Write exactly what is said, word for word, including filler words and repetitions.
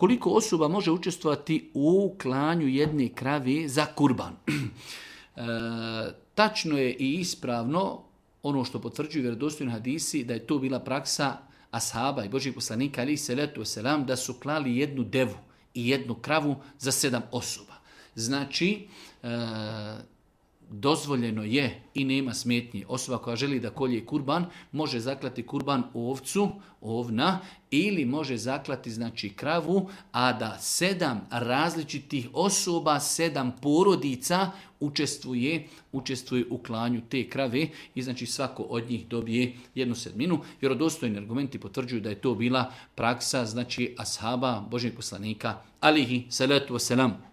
Koliko osoba može učestvovati u klanju jedne krave za kurban? E, tačno je i ispravno ono što potvrđuju vjerodostojni hadisi da je to bila praksa ashaba i Božih poslanika alejhi selatu vesselam da su klali jednu devu i jednu kravu za sedam osoba. Znači, e, dozvoljeno je i nema smetnje. Osoba koja želi da kolje kurban može zaklati kurban ovcu, ovna, ili može zaklati znači kravu, a da sedam različitih osoba, sedam porodica učestvuje, učestvuje u klanju te krave i znači svako od njih dobije jednu sedminu. Vjerodostojni argumenti potvrđuju da je to bila praksa znači ashaba Božjeg poslanika alejhi selatu vesselam.